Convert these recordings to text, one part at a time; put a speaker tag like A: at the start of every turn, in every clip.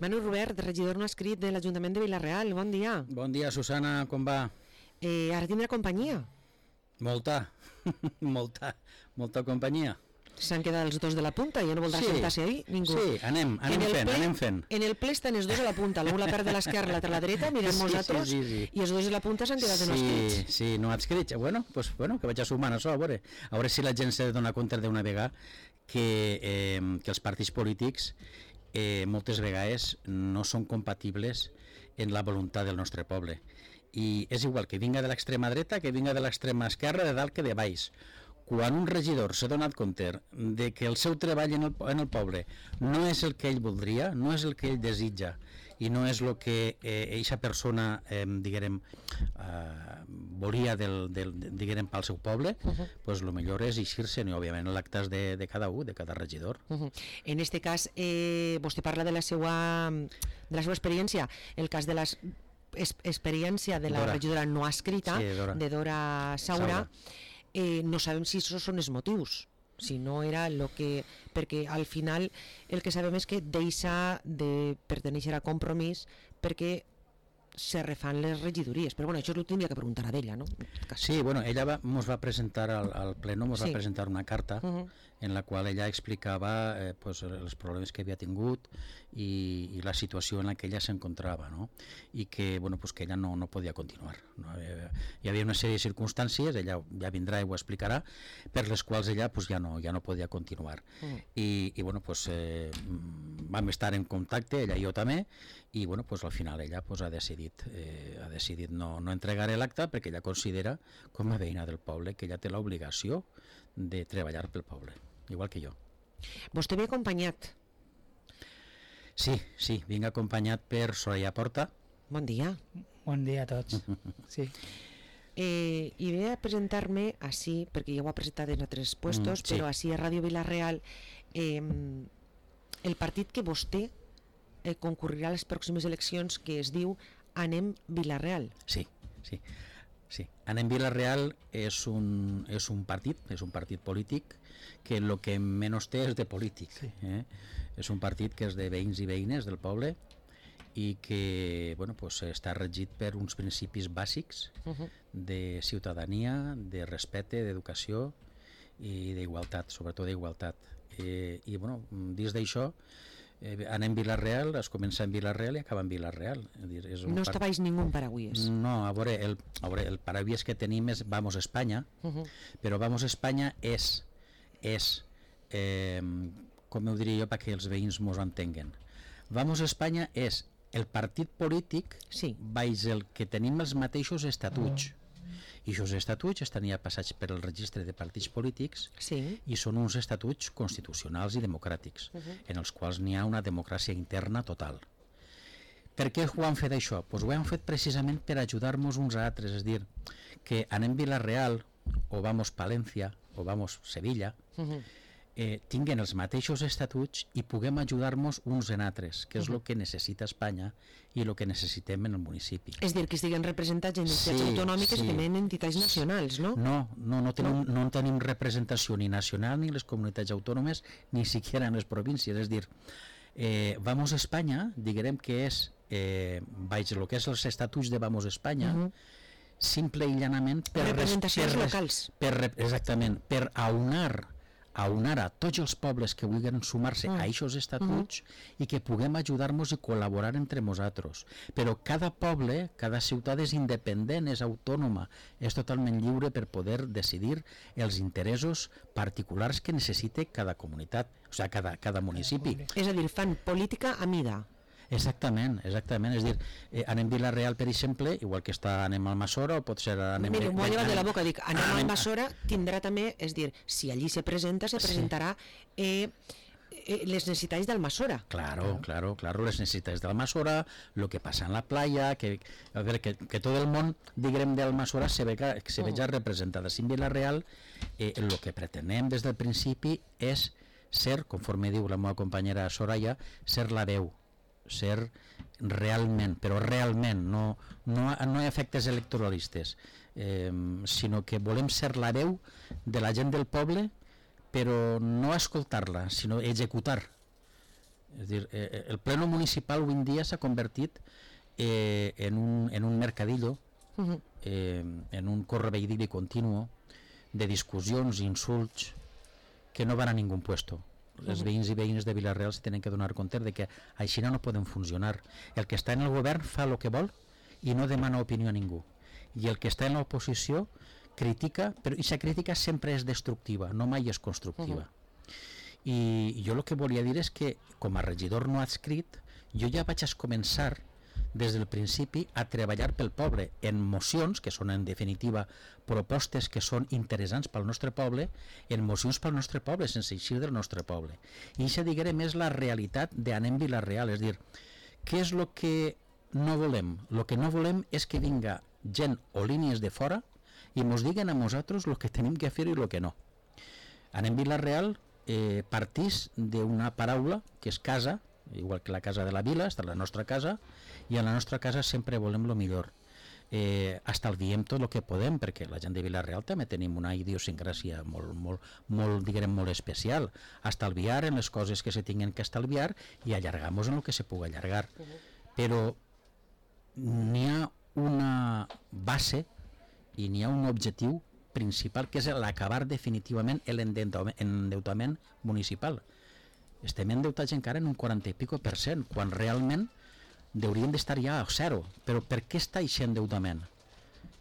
A: Manu Robert, regidor no escrit de l'Ajuntament de Vila-real, bon dia.
B: Bon dia, Susana, com va?
A: Ara tindrà companyia.
B: Molta companyia.
A: S'han quedat els dos de la punta, ja no voldrà sentar-se ahí ningú.
B: Sí, anem fent.
A: En el ple estan els dos a la punta, l'un la part de l'esquerra, l'altra a la dreta, mirem nosaltres, i els dos de la punta s'han quedat en escrits.
B: Sí, no adscrits. Bueno, que vaig a sumar això, a veure si la gent se dona compte d'una vegada que els partits polítics moltes vegades no són compatibles en la voluntat del nostre poble. I és igual que vinga de l'extrema dreta, que vinga de l'extrema esquerra, de dalt que de baix. Quan un regidor s'ha donat compte de que el seu treball en el poble no és el que ell voldria, no és el que ell desitja i no és el que eixa persona volia pel seu poble, pues el millor és eixir-se, i òbviament l'acte de cada un, de cada regidor.
A: En este cas, vostè parla de la seva experiència, el cas de l'experiència de la regidora no escrita, de Dora Saura. No sabem si això són els motius, si no era el que... perquè al final el que sabem és que deixa de pertenèixer a Compromís perquè se refan les regidories, però bueno, això ho tindria que preguntar a ella, no?
B: Sí, bueno, ella ens va presentar al pleno, va presentar una carta en la qual ella explicava els problemes que havia tingut i la situació en la que ella s'encontrava, no? I que, que ella no podia continuar, no? Hi havia una sèrie de circumstàncies, ella ja vindrà i ho explicarà, per les quals ella ja no podia continuar. I vam estar en contacte, ella i jo també, i al final ella ha decidit no entregar l'acte perquè ella considera, com a veïna del poble, que ella té l'obligació de treballar pel poble, igual que jo.
A: Vostè ve acompanyat?
B: Sí, vinc acompanyat per Soraya Porta.
A: Bon dia.
C: Bon dia a tots. Sí.
A: I ve a presentar-me així, perquè ja ho ha presentat en altres puestos, però així a Ràdio Vila-real, el partit que vostè concurrirà a les pròximes eleccions, que es diu Anem Vila-real. Sí.
B: Anem Vila-real és un partit polític que el que menys té és de polític. És un partit que és de veïns i veïnes del poble i que està regit per uns principis bàsics de ciutadania, de respecte, d'educació i d'igualtat, sobretot d'igualtat. I dins d'això anem Vila-real, es comença en Vila-real i acaba en Vila-real.
A: No està baix ningú paraigües.
B: No, a veure, el paraigües que tenim és Vamos Espanya, però Vamos Espanya és com ho diria jo perquè els veïns mos entenguen. Vamos Espanya és el partit polític baix el que tenim els mateixos estatuts. I aquests estatuts estan ja passats per el registre de partits polítics i són uns estatuts constitucionals i democràtics, en els quals n'hi ha una democràcia interna total. Per què ho han fet això? Ho han fet precisament per ajudar-nos uns a altres, és dir, que Anem Vila-real o Vamos Palència o Vamos Sevilla tinguen els mateixos estatuts i puguem ajudar-nos uns en altres, que és el que necessita Espanya i el que necessitem en el municipi.
A: És dir, que estiguen representats en entitats autonòmiques i també en entitats nacionals, no?
B: No tenim representació ni nacional ni les comunitats autònomes ni siquiera en les províncies, és dir, Vamos Espanya, diguem que és baix el que és els estatuts de Vamos Espanya, simple i llanament per
A: representacions locals.
B: Exactament, per aunar a tots els pobles que vulguin sumar-se a aquests estatuts i que puguem ajudar-nos i col·laborar entre nosaltres. Però cada poble, cada ciutat és independent, és autònoma, és totalment lliure per poder decidir els interessos particulars que necessite cada comunitat, o sigui, cada municipi.
A: És a dir, fan política a mida.
B: Exactament, és dir, Anem Vila-real, per exemple, igual que està Anem Almassora, o pot ser Anem...
A: Mira, m'ho ha llevat de la boca, dic, Anem Almassora tindrà també, és dir, si allí se presentarà les necessitats d'Almassora.
B: Claro, les necessitats d'Almassora, el que passa en la playa, que tot el món, diguem, d'Almassora se veja representada. En Vila-real, el que pretenem des del principi és ser, conforme diu la meva companyera Soraya, ser la veu, ser realment, però realment, no hi ha efectes electoralistes, sinó que volem ser la veu de la gent del poble, però no escoltar-la, sinó executar És dir, el pleno municipal avui en dia s'ha convertit en un mercadillo, en un correveidili continuo de discussions, insults, que no van a ningú puesto. Els veïns i veïnes de Vila-real se tenen que donar compte de que així no poden funcionar. El que està en el govern fa el que vol i no demana opinió a ningú. I el que està en l'oposició critica, però aquesta crítica sempre és destructiva, no mai és constructiva. I jo el que volia dir és que, com a regidor no adscrit, jo ja vaig començar des del principi a treballar pel poble en mocions, que són en definitiva propostes que són interessants pel nostre poble, en mocions pel nostre poble, sense eixir del nostre poble. I això, diguem, és la realitat d'Anem Vila-real, és dir, què és el que no volem? El que no volem és que vinga gent o línies de fora i mos diguen a nosaltres el que tenim que fer i el que no. Anem Vila-real partís d'una paraula que és casa, igual que la casa de la vila, està la nostra casa, i a la nostra casa sempre volem el millor. Estalviem tot el que podem, perquè la gent de Vila-real també tenim una idiosincràsia molt especial. Estalviar en les coses que se tinguen que estalviar i allargar-nos en el que se pugui allargar. Però n'hi ha una base i n'hi ha un objectiu principal, que és l'acabar definitivament l'endeutament municipal. Estem endeutats encara en un 40 i pico %, quan realment haurien d'estar ja a zero. Però per què està aquest endeutament?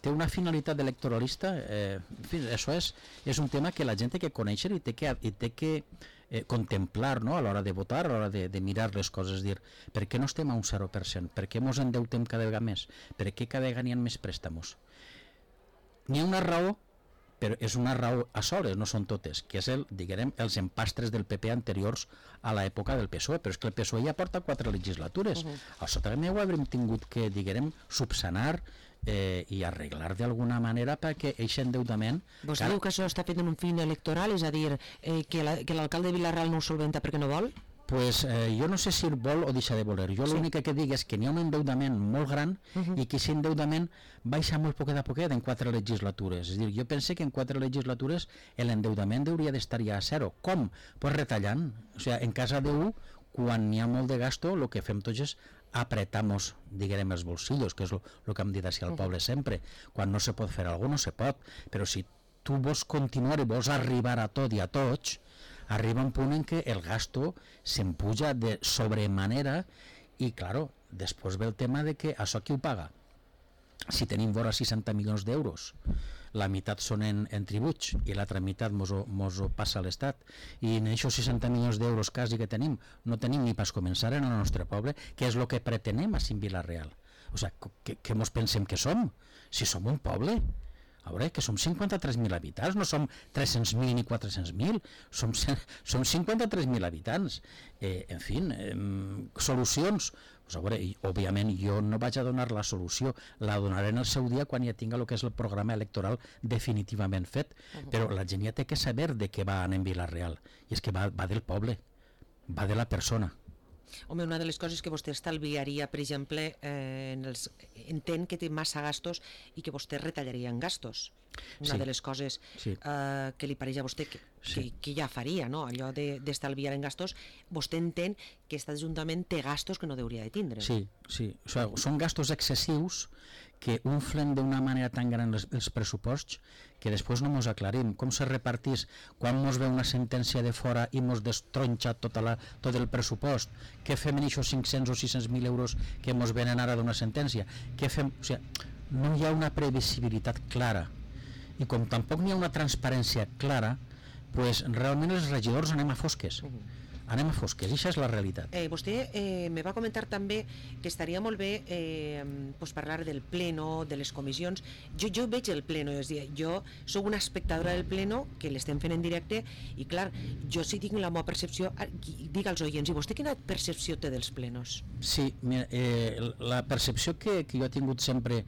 B: Té una finalitat electoralista? En fi, això és un tema que la gent té que conèixer i té que contemplar, no? A l'hora de votar, a l'hora de mirar les coses, dir, per què no estem a un 0%? Per què ens endeutem cada vegada més? Per què cada vegada n'hi ha més préstamos? N'hi ha una raó, però és una raó a soles, no són totes, que és els empastres del PP anteriors a l'època del PSOE, però és que el PSOE ja porta 4 legislatures. Això també ho haurem tingut que, subsanar i arreglar d'alguna manera perquè aquest endeutament...
A: Vostè diu que això està fet en un fin electoral, és a dir, que l'alcalde de Vila-real no ho solventa perquè no vol?
B: Pues jo no sé si vol o deixa de voler. Jo l'únic que dic és que n'hi ha un endeutament molt gran i que aquest endeutament baixa molt poquet a poquet en 4 legislatures. És a dir, jo pense que en 4 legislatures l'endeutament hauria d'estar ja a zero. Com? Pues retallant. O sigui, en casa d'un, quan n'hi ha molt de gasto, el que fem tots és apretamos, diguem, els bolsillos, que és el que hem dit així al poble sempre. Quan no se pot fer alguna cosa, no se pot. Però si tu vols continuar i vols arribar a tot i a tots, arriba un punt en què el gasto s'empuja de sobremanera i, claro, després ve el tema de que això qui ho paga? Si tenim vora 60 milions d'euros, la meitat són en tributs i l'altra meitat mos ho passa a l'Estat, i en aquests 60 milions d'euros quasi que tenim, no tenim ni pas començar en el nostre poble, que és el que pretenem a Vila-real. O sigui, què mos pensem que som? Si som un poble, a veure, que som 53.000 habitants, no som 300.000 ni 400.000, som 53.000 habitants. En fi, solucions. Pues a veure, òbviament jo no vaig a donar la solució, la donaré en el seu dia quan ja tinga el que és el programa electoral definitivament fet, però la gent ja té que saber de què va anar en Vila-real, i és que va del poble, va de la persona.
A: Home, una de les coses que vostè estalviaria, per exemple, entén que té massa gastos i que vostè retallaria en gastos. Una de les coses que li pareix a vostè que ja faria, no? Allò d'estalviar en gastos, vostè entén que aquest Ajuntament té gastos que no hauria de tindre.
B: Sí. O sigui, són gastos excessius que unflen d'una manera tan gran els pressuposts que després no mos aclarim. Com se repartís quan mos ve una sentència de fora i mos destronxa tot el pressupost? Què fem en aquests 500 o 600.000 euros que mos venen ara d'una sentència? Què fem? O sigui, no hi ha una previsibilitat clara. I com tampoc n'hi ha una transparència clara, pues realment els regidors anem a fosques. Anem a fosques, i això és la realitat.
A: Vostè me va comentar també que estaria molt bé parlar del pleno, de les comissions. Jo veig el pleno, és a dir, jo soc una espectadora del pleno, que l'estem fent en directe, i clar, jo sí tinc la meva percepció, dic als oients, i vostè quina percepció té dels plenos?
B: Sí, mira, la percepció que jo he tingut sempre,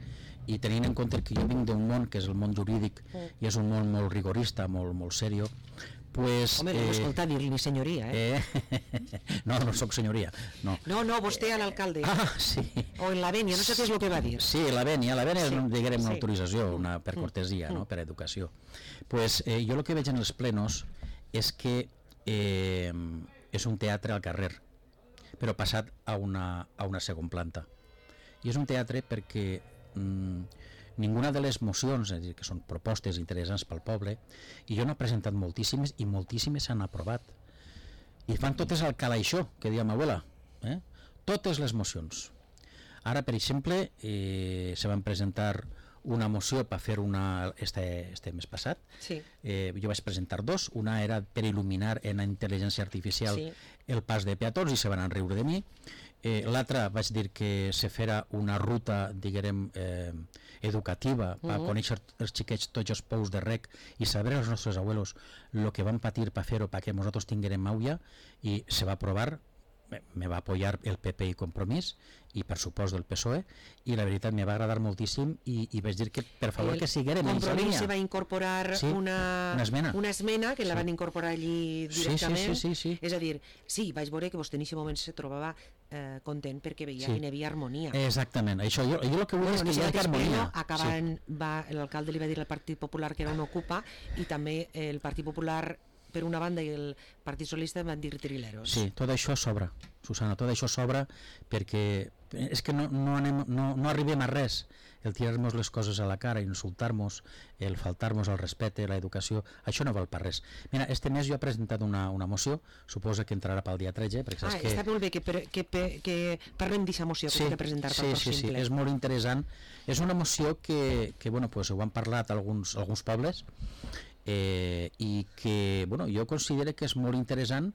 B: i tenint en compte que jo vinc d'un món que és el món jurídic, i és un món molt rigorista, molt serio, pues...
A: Home, no m'escolta dir-li senyoria,
B: No soc senyoria, no.
A: No, vostè a l'alcalde.
B: Ah, sí.
A: O en la vènia, no sé què és el que va dir.
B: Sí, la vènia és, diguem, una autorització, per cortesia, no?, per educació. Pues jo el que veig en els plenos és que és un teatre al carrer. però passat a una segona planta. I és un teatre perquè ninguna de les mocions, és a dir, que són propostes interessants pel poble, i jo n'he presentat moltíssimes i moltíssimes s'han aprovat. I fan totes al calaixó, que deia ma abuela, totes les mocions. Ara, per exemple, se van presentar una moció per fer una este mes passat.
A: Sí.
B: Jo vaig presentar dos. Una era per il·luminar en intel·ligència artificial el pas de peatons i se van riure de mi. L'altra vaig dir que se fera una ruta, diguem, educativa per conèixer els xiquets tots els pous de rec i saber els nostres abuelos el que van patir per fer-ho perquè nosaltres tinguérem maulla, i se va aprovar. Me va apoyar el PP i Compromís i per supost del PSOE, i la veritat me va agradar moltíssim i vaig dir que per favor que siguérem en aquesta línia.
A: Compromís se va incorporar una esmena que la van incorporar allí directament.
B: Sí.
A: És a dir, sí, vaig veure que vostè en aquest moment se trobava content perquè veia que hi havia harmonia.
B: Exactament, això jo el que vull és que hi hagi harmonia.
A: L'alcalde li va dir al Partit Popular que era un ocupa, i també el Partit Popular per una banda i el Partit Socialista van dir trileros.
B: Sí, tot això sobra, Susana, tot això sobra, perquè és que no arribem a res. El tirar-nos les coses a la cara, insultar-nos, el faltar-nos al respecte, l'educació, això no val per res. Mira, este mes jo he presentat una moció, suposa que entrarà pel dia 13, perquè saps que...
A: Està molt bé que parlem d'aquesta moció que he presentat pel pròxim ple.
B: Sí, és molt interessant. És una moció que bueno, pues, ho han parlat alguns pobles, i que jo considero que és molt interessant,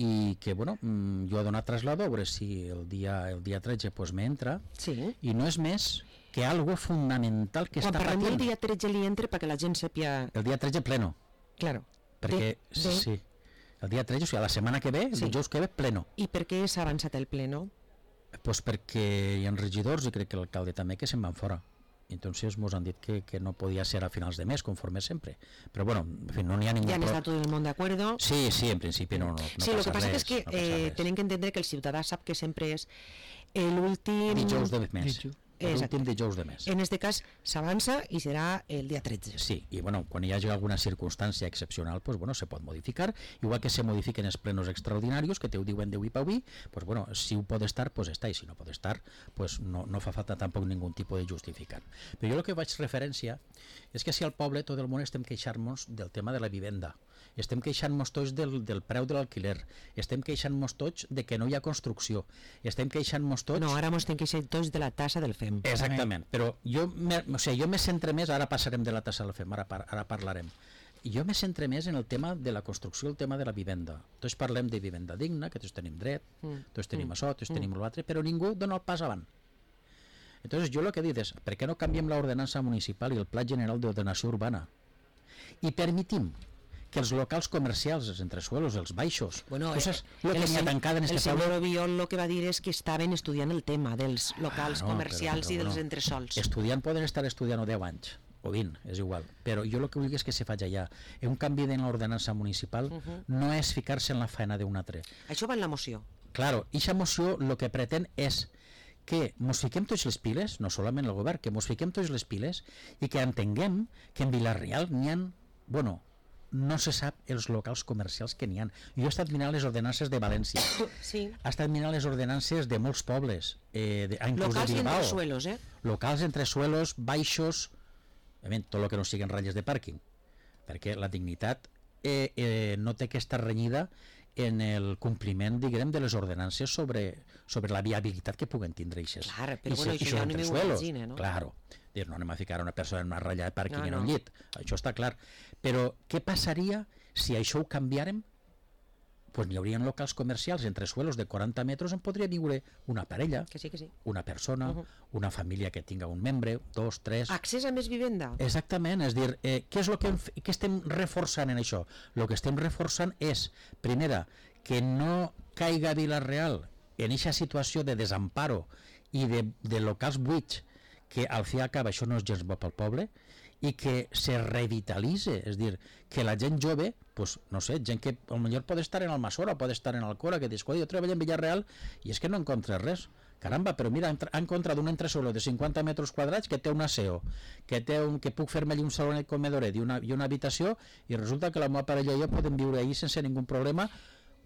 B: i que jo he donat traslado a veure si el dia 13 pues, m'entra, i no és més que algo fundamental que
A: quan
B: està patint.
A: Quan parlem el dia 13 li entra perquè la gent sàpia...
B: El dia 13 pleno.
A: Claro.
B: Perquè, sí, el dia 13, o sigui, la setmana que ve, el dijous que ve, pleno.
A: I per què s'ha avançat el pleno?
B: Pues perquè hi ha regidors, i crec que l'alcalde també, que se'n van fora. Entonces nos han dit que no podía ser a finals de mes, conforme siempre. Pero bueno, en fin, no n'hi ha ningún...
A: ¿Ya está todo el mundo de acuerdo?
B: Sí, en principio no
A: sí, lo que pasa es que tienen que entender que el ciudadà sap que sempre és l'últim...
B: dijous de mes. L'últim dijous de mes.
A: En este cas s'avança i serà el dia 13.
B: Sí, i bueno, quan hi hagi alguna circumstància excepcional, pues bueno, se pot modificar, igual que se modifiquen els plenos extraordinarios, que te ho diuen d'avui per avui, pues bueno, si ho pot estar, pues està, i si no pot estar, pues no fa falta tampoc ningú tipus de justificar. Però jo el que vaig referència és que si al poble tot el món estem queixant-nos del tema de la vivenda, estem queixant-nos tots del preu de l'alquiler, estem queixant-nos tots de que no hi ha construcció, estem queixant-nos tots...
A: No, ara ens estem queixant tots de la tassa del FEM.
B: Exactament, però jo me centre més, ara passarem de la tassa del FEM, ara parlarem. Jo me centre més en el tema de la construcció, el tema de la vivenda. Tots parlem de vivenda digna, que tots tenim dret, tots tenim això, tots tenim l'altre, però ningú dona el pas avant. Entonces jo el que he dit és, per què no canviem l'ordenança municipal i el Pla General d'Ordenació Urbana? I permitim que els locals comercials, els entresuelos, els baixos, coses que n'hi ha tancada en este poble...
A: El senyor Obiol el que va dir és que estaven estudiant el tema dels locals comercials i dels entresols.
B: Estudiant poden estar estudiant 10 anys, o 20, és igual, però jo el que vull és que se faci allà. Un canvi de l'ordenança municipal no és ficar-se en la feina d'un altre.
A: Això va en la moció.
B: Claro, i aquesta moció el que pretén és que mos fiquem tots les piles, no solament el govern, que mos fiquem tots les piles i que entenguem que en Vila-real n'hi ha, bueno, no se sap els locals comercials que n'hi ha. Jo he estat mirant les ordenances de València, he estat mirant les ordenances de molts pobles,
A: locals i entresuelos,
B: locals, entresuelos, baixos, tot el que no siguin ratlles de pàrquing, perquè la dignitat no té que estar renyida en el compliment, diguem, de les ordenances sobre la viabilitat que puguen tindre eixes.
A: Clar, però bueno, això ja no m'ho imagina, no?
B: Claro, no anem a ficar una persona en una ratlla de pàrquing en un llit, això està clar. Però què passaria si això ho canviàrem? Pues n'hi haurien locals comercials entre suelos de 40 metres on podria viure una parella, una persona, una família que tinga un membre, 2, 3...
A: Accés a més vivenda.
B: Exactament, és dir, què és el que estem reforçant en això? El que estem reforçant és, primera, que no caiga Vila-real en aquesta situació de desamparo i de locals buits, que al fi i al cap això no és gens bo pel poble, i que se revitalitze, és dir, que la gent jove, pues, no sé, gent que potser pot estar en Almassora, pot estar en Alcora, que dius, jo treballo en Villarreal i és que no encontres res. Caramba, però mira, ha encontrat un entresòl de 50 metres quadrats que té un aseo, que puc fer-me allí un saló i comedoret i una habitació, i resulta que la meva parella i jo podem viure ahí sense ningú problema,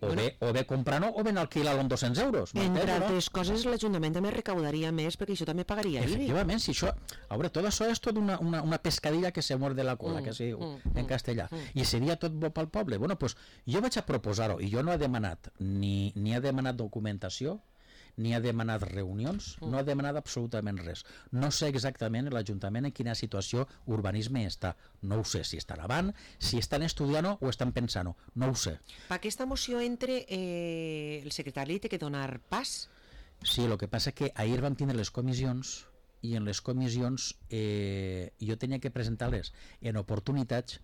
B: o bé comprant-ho o ben alquilar-lo amb 200 euros.
A: Entre altres coses, l'Ajuntament també recaudaria més perquè això també pagaria IBI.
B: Efectivament, si això, a veure, tot això és tot una pescadilla que se muerde la cola, que es diu en castellà, i seria tot bo pel poble. Bueno, doncs jo vaig a proposar-ho, i jo no he demanat ni ha demanat documentació, ni ha demanat reunions, no ha demanat absolutament res. No sé exactament l'Ajuntament en quina situació urbanisme està. No ho sé, si estan avant, si estan estudiant-ho o estan pensant-ho. No ho sé.
A: Per aquesta moció entre el secretari té que donar pas?
B: Sí, el que passa que ahir vam tindre les comissions i en les comissions jo tenia que presentar-les en oportunitats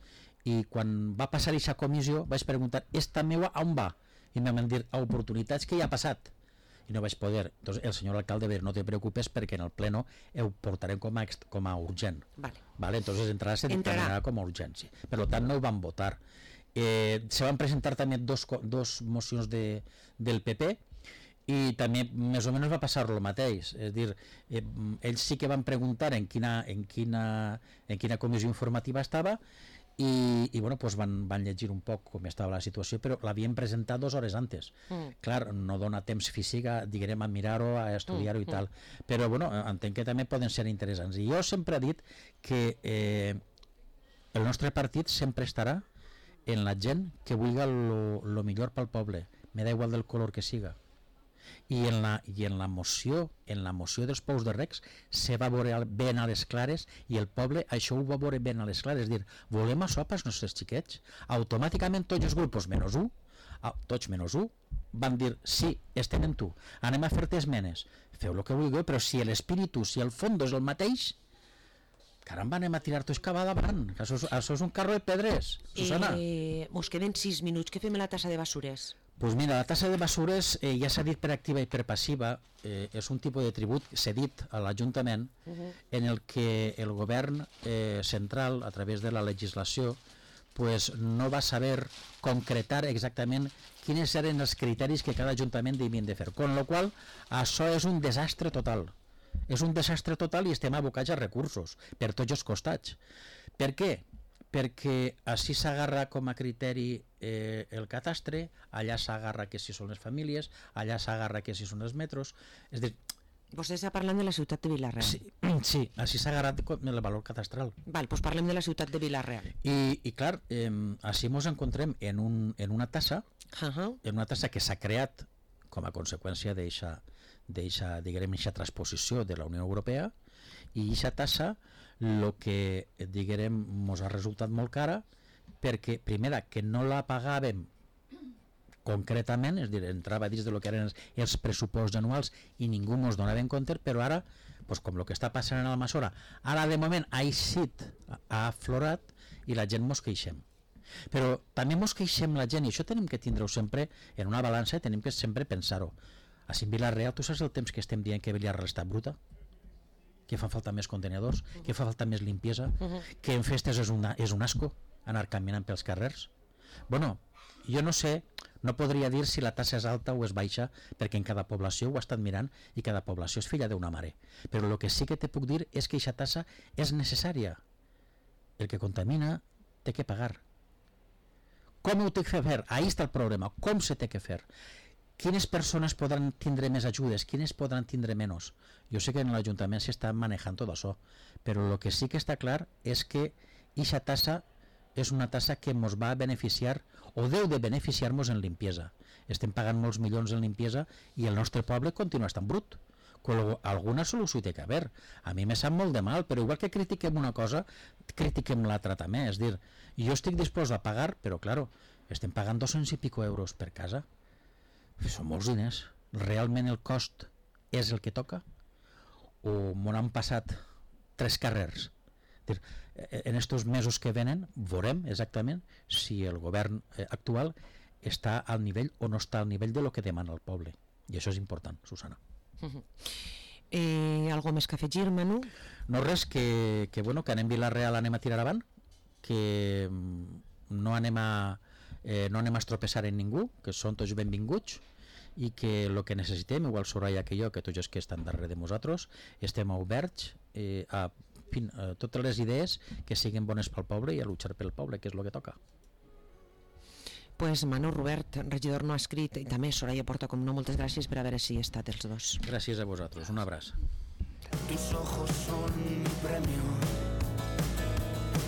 B: i quan va passar aquesta comissió vaig preguntar, esta meua on va? I em van dir, a oportunitats que ja ha passat. I no vaig poder. Entonces, el senyor alcalde va dir, no te preocupes perquè en el pleno ho portarem com a urgent. Vale. Entonces entrarà se dictaminarà com a urgència. Per tant, no ho van votar. Se van presentar també dos mocions del PP i també més o menys va passar el mateix. És dir, ells sí que van preguntar en quina comissió informativa estava i bueno, pues van llegir un poc com estava la situació, però l'havien presentat 2 hores antes. Clar, no dona temps físic a mirar-ho, a estudiar-ho i tal, però bueno, entenc que també poden ser interessants. I jo sempre he dit que el nostre partit sempre estarà en la gent que vulgui el millor pel poble, me da igual del color que siga. I en la moció dels pous de recs se va veure ben a les clares i el poble això ho va veure ben a les clares, és dir, volem això pels nostres xiquets. Automàticament tots els grups menys un van dir sí, estem en tu, anem a fer-te esmenes, feu el que vulgueu, però si l'espíritu, si el fons és el mateix, caramba, anem a tirar tots cap davant, això és un carro de pedres, Susana.
A: Mos queden 6 minuts, què fem a la tassa de basures?
B: Pues mira, la tassa de basures ja s'ha dit per activa i per passiva, és un tipus de tribut cedit a l'Ajuntament en el que el govern central, a través de la legislació, pues no va saber concretar exactament quins eren els criteris que cada Ajuntament devien de fer, con lo qual això és un desastre total. És un desastre total i estem abocats a recursos per tots els costats. Per què? Perquè així s'agarra com a criteri el catastre, allà s'agarra que si són les famílies, allà s'agarra que si són els metros, és dir...
A: Vostè està parlant de la ciutat de Vila-real.
B: Sí, així s'ha agarrat el valor catastral.
A: Val, doncs parlem de la ciutat de Vila-real.
B: I clar, així ens encontrem en una tassa, que s'ha creat com a conseqüència d'eixa transposició de la Unió Europea, i aquesta tassa el que ens ha resultat molt cara perquè, primera, que no la pagàvem concretament, és a dir, entrava dins del que eren els pressupostos anuals i ningú ens donava en compte, però ara, com el que està passant en Almassora, ara de moment ha eixit, ha aflorat i la gent ens queixem. Però també ens queixem la gent, i això tenim que tindre-ho sempre en una balança i tenim que sempre pensar-ho. Així en Vila-real, tu saps el temps que estem dient que Vila-real està bruta? Que fa falta més contenedors, que fa falta més limpiesa, que en festes és un asco anar caminant pels carrers. Bueno, jo no sé, no podria dir si la tassa és alta o és baixa, perquè en cada població ho he estat mirant i cada població és filla d'una mare. Però el que sí que te puc dir és que aquesta tassa és necessària. El que contamina té que pagar. Com ho té que fer? Ahí està el problema. Com se té que fer? Quines persones podran tindre més ajudes, quines podran tindre menys? Jo sé que en l'Ajuntament s'està manejant tot això, però el que sí que està clar és que aquesta tassa és una tassa que ens va beneficiar o deu de beneficiar-nos en limpiesa. Estem pagant molts milions en limpiesa i el nostre poble continua estant brut. Alguna solució té que haver. A mi me sap molt de mal, però igual que critiquem una cosa, critiquem l'altra també. És dir, jo estic dispost a pagar, però claro, estem pagant 200 i pico euros per casa. Són molts diners. Realment el cost és el que toca? O m'ho han passat 3 carrers? En estos mesos que venen veurem exactament si el govern actual està al nivell o no està al nivell de lo que demana el poble. I això és important, Susana.
A: Algo més que afegir, Manu?
B: No res, que anem Vila-real, anem a tirar avant, que no anem a estropeçar en ningú, que són tots benvinguts i que el que necessitem, igual Soraya que jo, que tots els que estan darrere de nosaltres, estem oberts a totes les idees que siguin bones pel poble i a luchar pel poble, que és el que toca.
A: Pues Manu, Robert, regidor no escrit, i també Soraya Porta, com no, moltes gràcies per haver-hi estat els dos.
B: Gràcies a vosaltres, un abraç.
D: Tus ojos son